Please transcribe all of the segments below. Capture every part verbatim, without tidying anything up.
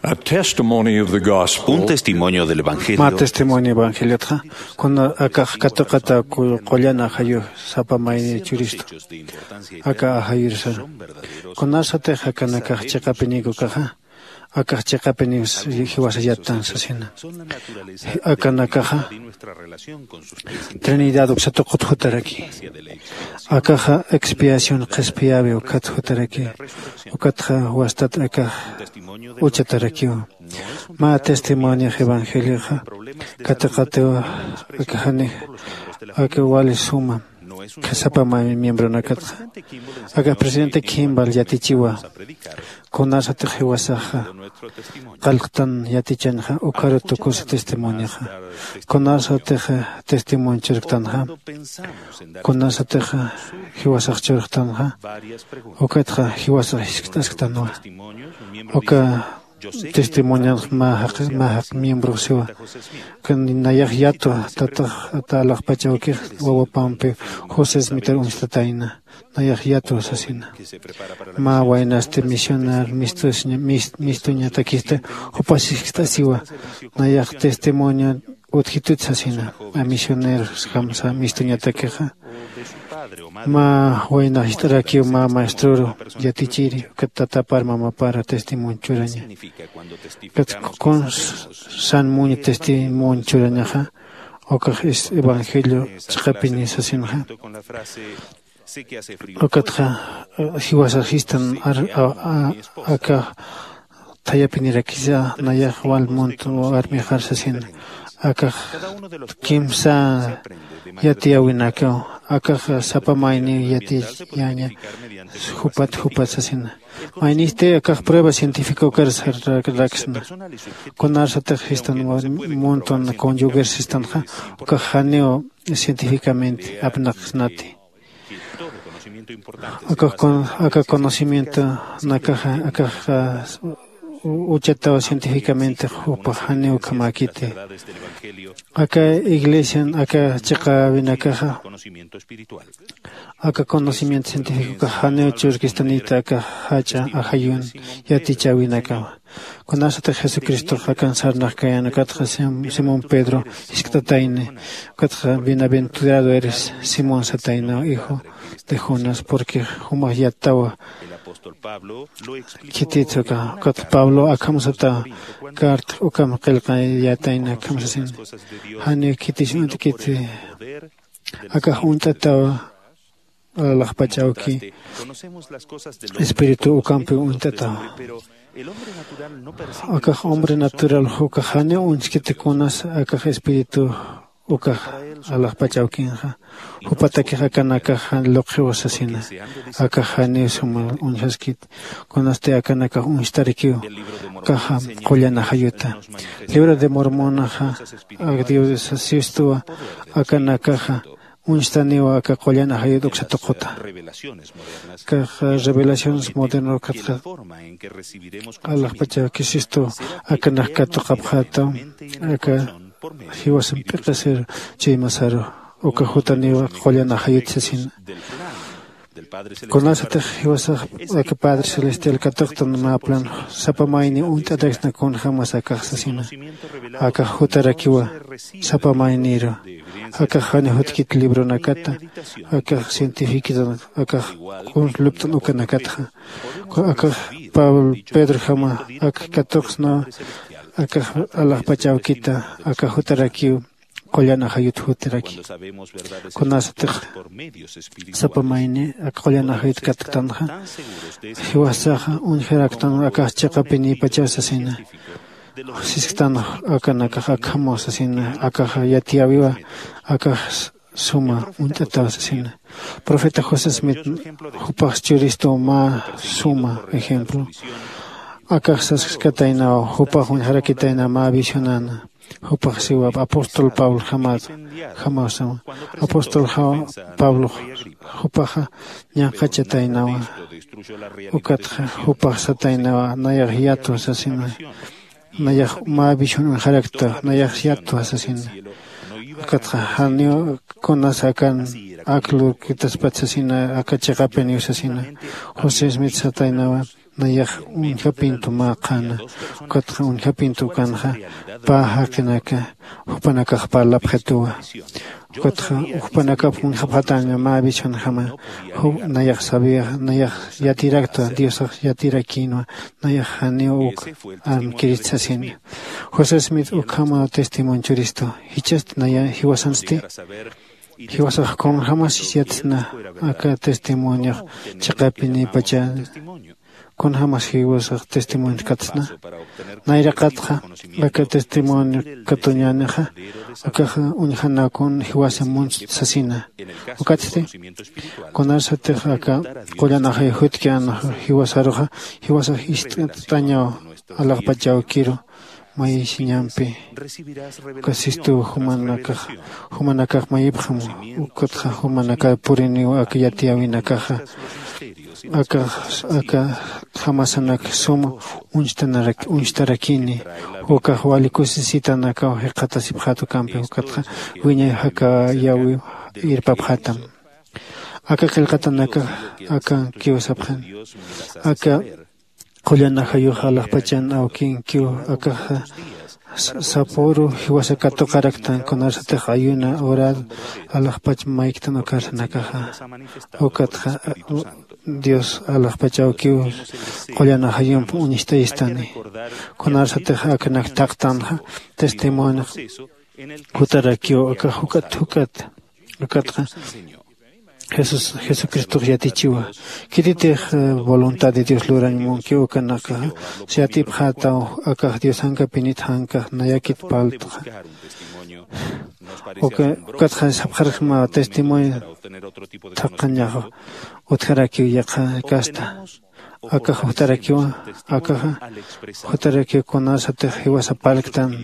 A testimony of the gospel. Un testimonio del evangelio. Ma testimonio evangeliotxa kuna akax katuqata ku- qullan ajayu sapa mayni churistu aka ajayursar. Kunasatix akanakax chiqapinikukaxa akax chiqapiniw jiwasa yattan sasina. Akanakaxa trinidad uksatuqut jutaraki. Akaxa expiación qhispiyawi ukat jutaraki. Ukatxa wastat akax uchatarakiwa. Mä testimoniox evangelioxa katiqatiwa. Akaxani aka wali suma sapa mä miembronakatxa aka presidente Kimball yatichiwa. Kunasatix jiwasaxa qallqtan yatichanxa ukharu tukusa testimonioxa. Kunasatix testimonio churktanxa kunasatix jiwasax churktanxa ukatxa jiwasax jiskt'asktanwa. Uka testimonianx mä jaq mä jaq miembrox siwa. Nayax yatwa tatax ata alaxpach awkix wawapampi josé smitar uñstatayna. Nayax yatwa sasina. Mä waynasti misionar mistuñatakista jupas jiskt'asiwa. Nayax testimonio utjitut sasina. A misioneros jamsa mistuñatakixa mä waynax jist'arakiw mä maestroru yatichiri ukat tatapar mamapara testimonio churaña. Ukat kuns san muña testimonio churañaxa ukax evangelio chiqapini sasinxa. Ukatxa jiwasaxistan aka thayapinirakisa nayax wal munt armixar sasina. Akax kimsa yatiyäwinakaw akax sapa mayniw yatiyaña. Jupat jupat sasina. Maynisti akax prueba cientifica ukar sarraksna. Kunarsatix jistan muntun conyuger sistanxa ukax janiw cientificamente apnaqsnati. Aka conocimiento nakaxa akax uchataw cientificamente jupax janiw ukhamäkiti. Aka iglesian aka chiqäwinakaxa aka conocimiento cientificokax janiw churkistanita aka jach'a ajayun yatichäwinakawa. Kunasatix jesucristox akan sarnaxkayan ukatxa simón pedro jiskt'atayni. Ukatxa bienaventurado eres simón sataynaw hijo de jonas porque jumax yattawa. Khititsa uka ukatxa pablo akham satawa. Carta ukam qillqayatayna akham sasina. Janiw khitis uñt'kiti akax uñt'atawa. Alaxpach awki espíritu ukampi uñt'atawa. Akax hombre natural ukax janiw uñskiti kunas akax espíritu ukax alaxpach awkinxa. Jupatakix akanakax jan luqxiwa sasina. Akax janiw suma uñjaskiti kunasti akanakax uñstarakiw. Akaxa qullan ajayuta libro de mormonaxa ak dios sistuwa akanakaxa uñstaniwa aka qullan ajayut uksa tuquta. Kax revelaciones moderno katxa alaxpachaw kisistu akanak katuqapxätaw aka jiwasan p'iqisir chuymasaru uka jutaniwa qullan ajayut sasina. Kunasatix jiwasax aka padre celestial katuqtan mä plan sapa mayni uñt'ataksna kunjämas akax sasina. Akax jutarakiwa sapa mayniru akax jani jutkit libronakata akax cientificotan akax kuns lupt'an ukanakatxa. Akax pablo pedrojama ak katuqsnaw akax alaxpach awkita akax jutarakiw qullan ajayut jutiraki. Kunasatix sapa mayni ak qullan ajayut katktanxa jiwasaxa uñjaraktan akax chiqapinïpachaw sasina. Sisktan akanakax akhamaw sasina akax yatiyäwiwa akax suma uñt'ataw sasina. Profeta josé smith jupax churistu mä suma ejemplo akax saskataynaw jupax uñjarakitayna mä visionana. Jupax siwa apóstol pablo jamasa jamawsama apóstol pablox jupaxa ñanqachataynawa. Ukatxa jupax sataynawa nayax yatwa sasina. Nayax mä visión uñjarakta nayax yatwa sasina. Ukatxa janiw kunas akan ak lurkitaspat sasina aka chiqapiniw sasina. José smith sataynawa nayax uñjapintu mä qhana. Ukatxa uñjapintu ukanxa pä jaqinaka jupanakax parlapxituwa. Ukatxa jupanakap uñjapxataña mä visionjama. Nayax sabiyax nayax yatiraktwa diosax yatirakïnwa. Nayax janiw uk armkirist sasina. José smith ukhama testimonio churistu. Jichhasti naya jiwasansti? Jiwasax kunjämasis yatsna aka testimoniox chiqapinïpacha? Kunjämas jiwasax testimoniox katsna? Nayraqatxa aka testimonio katuñänixa akaxa uñjanakun jiwasa munst sasina. Ukatsti kunarsatix aka qullan ajay jutki anax jiwasaruxa jiwasax ist'añaw alaxpach awkiru mayisiñampi. Uka sistuw jumanakax jumanakax mayipxam. Ukatxa jumanakar puriniw aka yatiyäwinakaxa akax akjamasanak sum uñstarakini. Ukax wali kusisitanakaw jikxatasipxäta ukampi ukatxa wiñay jakayäwiw irpapxätam. Aka qillqatanakax akankiw sapxan aka qullan ajayux alaxpachan awkinkiw akaxa sapüru jiwasa katuqaraktan kunarsatix ayuna orar alaxpach mayktan ukarsanakaxa. Ukatxa dios alaxpach awkiw qullan ajayump uñstayistani. Kunarsatix aknak thaqtanxa testimoniox jutarakiw akax juk'at juk'at. Ukatxa jesús jesucristox yatichiwa. Khititix voluntad de dios lurañ munkiw ukanakaxa siyatipxätaw akax diosankapinit jankax nayakit parltxa. Ukatxa sapxaraksma testimonio thaqañax utjarakiw yaqha kasta. Akax jutarakiwa akaxa jutarakiw kunasatix jiwasa parlktan.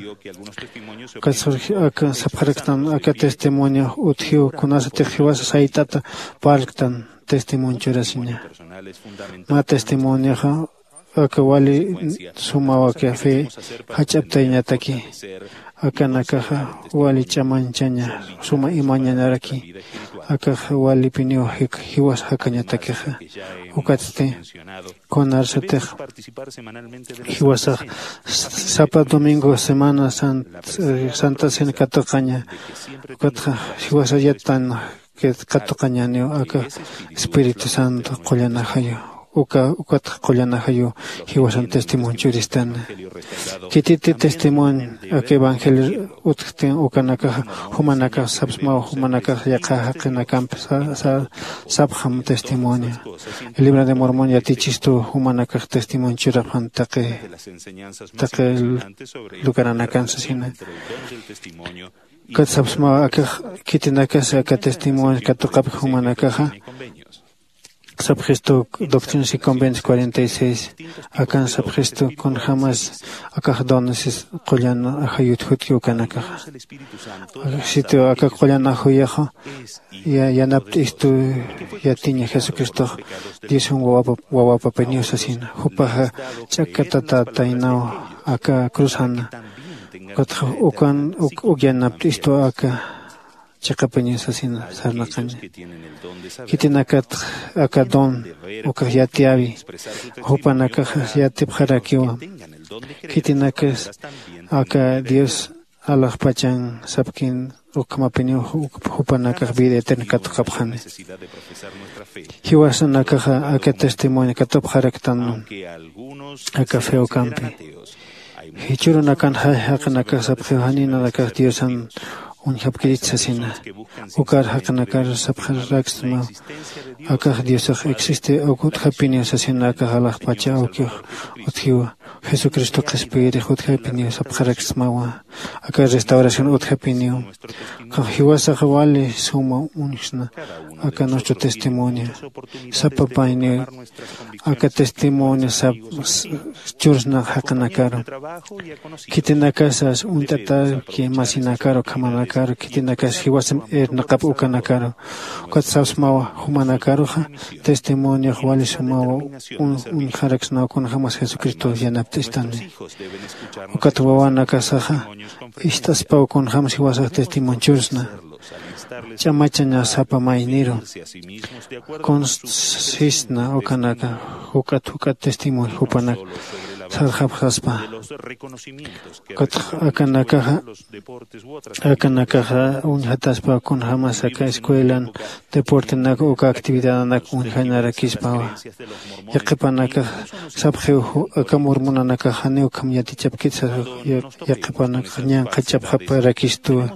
Ukatxa aka sapxaraktan aka testimonio utjiw kunasatix jiwasa sayt'ata parlktan. Testimonio churasiña mä testimonioxa aka wali sumaw aka fe jach'aptayañataki. Akanakaxa wali ch'amañchaña suma imañanaraki. Akaxa walipiniw jiwas jakañatakixa. Ukatsti kunarsatix jiwasax sapa domingo semana santa cena katuqaña. Ukatxa jiwasa yatan katuqañaniw aka espíritu santo qullan ajayu. Uka ukatxa qullan ajayu jiwasan testimonio churistana. Khititi testimonio aka evangelio utjktin ukanakaxa jumanakax sapsmaw jumanakax yaqha jaqinakampi sapxam testimonio. El libro de mormón yatichistuw jumanakax testimonio churapxan taqi taqi lugaranakan sasina. Ukat sapsmaw akax khitinakas aka testimonio katuqapki jumanakaxa sapxistu doctrinas y convenios cuarenta y seis. Akan sapxistu kunjämas akax donesis qullan ajayut jutki ukanakaxa. Sitio aka qullan ajayaxa yanapt'istu yatiña jesucristox diosum wawapapiniw sasina. Jupaxa ch'akkatatätaynaw aka cruzana. Ukatxa ukan uk yanapt'istu aka chiqapiniw sasina sarnaqaña. Khitinakat aka don ukax yatiyäwi jupanakax yatipxarakiwa. Khitinakas aka dios alaxpachan sapkin ukhamapiniw jupanakax vida eterna katuqapxani. Jiwasanakaxa aka testimonio katupxaraktan aka fe ukampi. Jichhürunakan jaqinakax sapxiw janinanakax diosan uñjapkirit sasina. Ukar jaqinakar sapxaraksma akax diosax existe uk utjapiniw sasina akax alaxpacha awkix utjiwa. Jesucristo qhispiyirix utjapiniw sapxaraksmawa. Aka restauración utjapiniw jiwasax wali suma uñjsna. Aka nuestro testimonio sapapayniw aka testimonio sap chursnax jaqinakaru. Khitinakasas uñt'atäki masinakaru ukhamanakaru khitinakas jiwasam irnaqap ukanakaru. Ukat sapsmawa jumanakaruxa testimoniox wali sumawa uñjaraksnaw kunjämas jesucristo yanapt'istani. Ukat wawanakasaxa ist'aspaw kunjämas jiwasax testimonio chursna. ch'amachaña sapa mayniru kunsisna ukanaka juk'at juk'at testimonio jupanak sarxapxaspa. Ukatx akanakaxa akanakaxa uñjataspa kunjämas aka escuelan deportenak uka actividadanak uñjanarakispawa. Yaqhipanakax sapxiw aka murmunanakax janiw ukham yatichapkit sasa. Yaqhipanakax ñanqhachapxaparakistuwa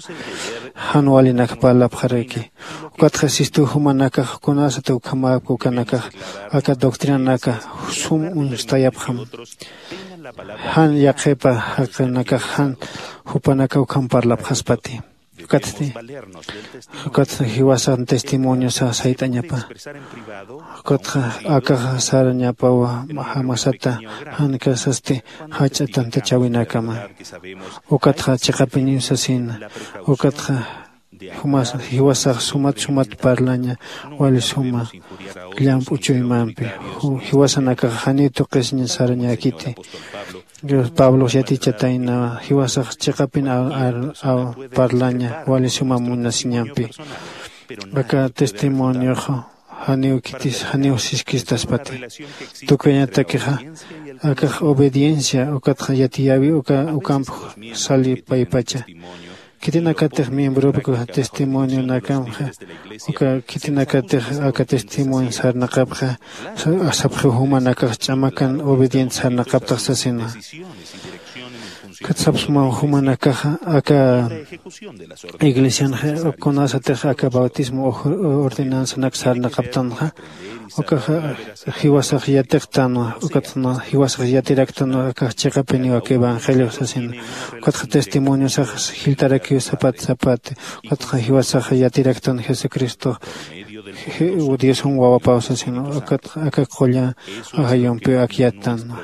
jan walinak parlapxaraki. Ukatxa sistuw jumanakax kunasat ukhamäpki ukanakax aka doctrinanaka sum uñstayapxam. Jan yaqhipa jaqinakax jan jupanaka ukham parlapxaspati. Ukatsti ukatxa jiwasan testimoniosa sayt'añapa. Ukatxa akaxa sarañapawa jamasata jan kasasti jach'a tantachäwinakama. Ukatxa chiqapiniw sasina. Ukatxa jiwasax sumat sumat parlaña wali suma llamp'u chuymampi. Jiwasanakax janiw tuqisiña sarañäkiti. Pablox yatichatayna jiwasax chiqapin parlaña wali suma munasiñampi. Aka testimoniox janiw khitis janiw siskistaspati. Tukuyañatakixa akax obediencia ukatxa yatiyäwi ukamp sali paypacha. Khitinakatix miembropki testimonionakamxa uka khitinakatix aka testimonio sarnaqapxa sapxiw jumanakax ch'amakan obediente sarnaqaptax sasina. Kat sapsmaw jumanakaxa aka iglesianxa kunasatix aka bautismo ordenanzanak sarnaqaptanxa ukaxa jiwasax yatiqtanwa. Ukatxa jiwasax yatiraktanwa akax chiqapiniw aka evangelio sasina. Ukatxa testimoniosax jiltarakiw sapat sapat. Ukatxa jiwasax yatiraktan jesucristo diosan wawapaw sasina. Ukatxa aka qulla ajayumpiw akyattanwa.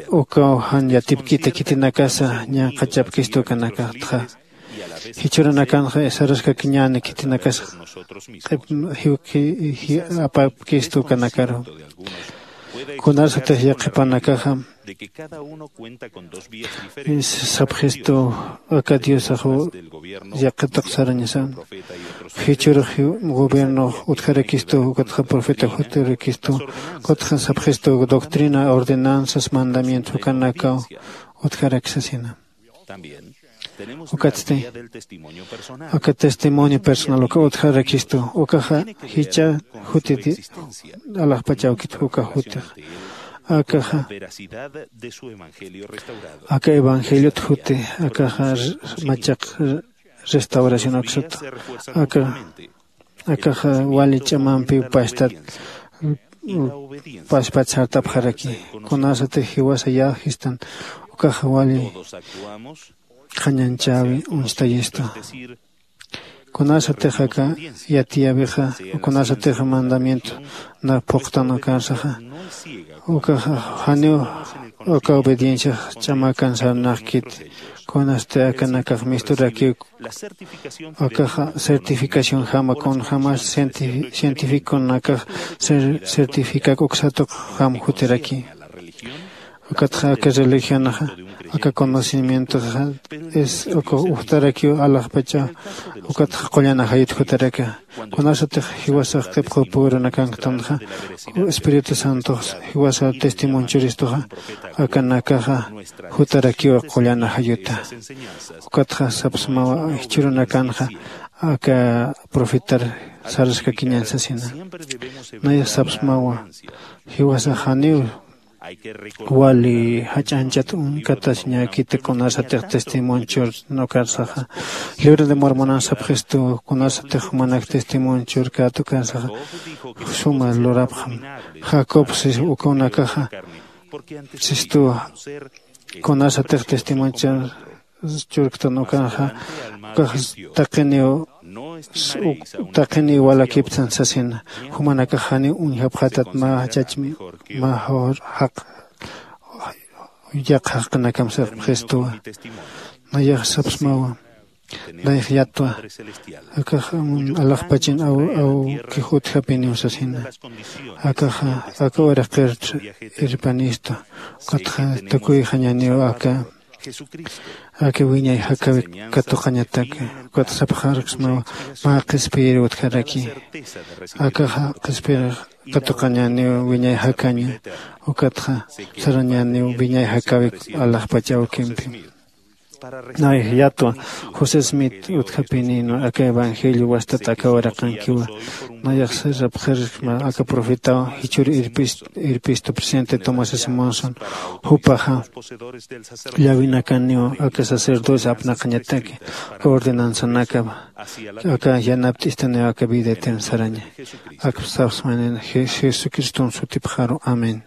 Ukaw jan yatipkita khitinakasa ñanqhachapkistu ukanakatxa. Jichhüranakanxa saraskakiñäni khitinakasa q'ip apapkistu ukanakaru. Kunasatix yaqhipanakaxa sapxistu aka diosax yaqhitaq sarañasan. Jichhürux gobiernox utjarakistu ukatxa profeta jutarakistu ukatxa sapxistu doctrina ordenanzas mandamientos ukanakaw utjarak sasina. Ukatsti aka testimonio personal uka utjarakistu ukaxa jichha jutiti alaxpachawkit uka jutix akaxa aka evangeliot juti akaxa machaq restauración aksata aka akaxa wali ch'amampiw pastat paspat sartapxaraki. Kunasatix jiwasa yäjistan ukaxa wali qhañanchäwi uñstayistu. Kunasatix aka yatiyäwixa kunasatix mandamiento na phuqtan ukansaxa ukaxa janiw uka obedienciax ch'amakan sarnaqkit. Kunasti akanakax misturakiw akaxa certificación jama kunjämas cientificonakax certificak uksatuq jam jutiraki. Ukatxa aka religionxa aka conocimientoxa es uka ujtarakiw alaxpacha ukatxa qullan ajayut jutaraka. Kunasatix jiwasax qhipqu purunakanktanxa espíritu santox jiwasa testimonchuristuxa akanakaxa jutarakiw qullan ajayuta. Ukatxa sapsmawa jichhürunakanxa aka profetar saraskakiñan sasina. Nayax sapsmawa jiwasax janiw wali jach'añchat uñkatasiñäkiti kunasatix testimonchur nukarsaxa libro de mormonan sapxistu kunasatix jumanak testimonchur katukarsaxa suma lurapxam. Jacob sis ukunakaxa sistuwa kunasatix testimonchur churktan ukanxa ukax taqiniw taqiniw walakiptan sasina. Jumanakax janiw uñjapxatat mä jachachmi mä jaq yaq jaqinakam sapxistuwa. Nayax sapsmawa nayax yatwa akax alaxpachin awkix utjapiniw sasina. Akaxa aka uraqir irpanistu ukatxa tukuyxañaniw aka Aka wiñay jakawik katuqañataki. Ukat sapxarksmawa mä qhispiyir utjaraki. Akaxa qhispiyir katuqañäniw wiñay jakaña. Ukatxa sarañäniw wiñay jakawik alaxpach awkimpi. Nay yatwa josé smith utjapinïnwa aka evangelio wastat aka uraqankiwa. Nayax sirapxirkma aka profetaw jichhür irpistu presidente tomás simonson. Jupaxa llawinakaniw aka sacerdocio apnaqañataki aka ordenanzanakapa aka yanapt'istaniw aka vida eterna saraña. Akpsapxsmanin jesucriston sutipxaru. Amén.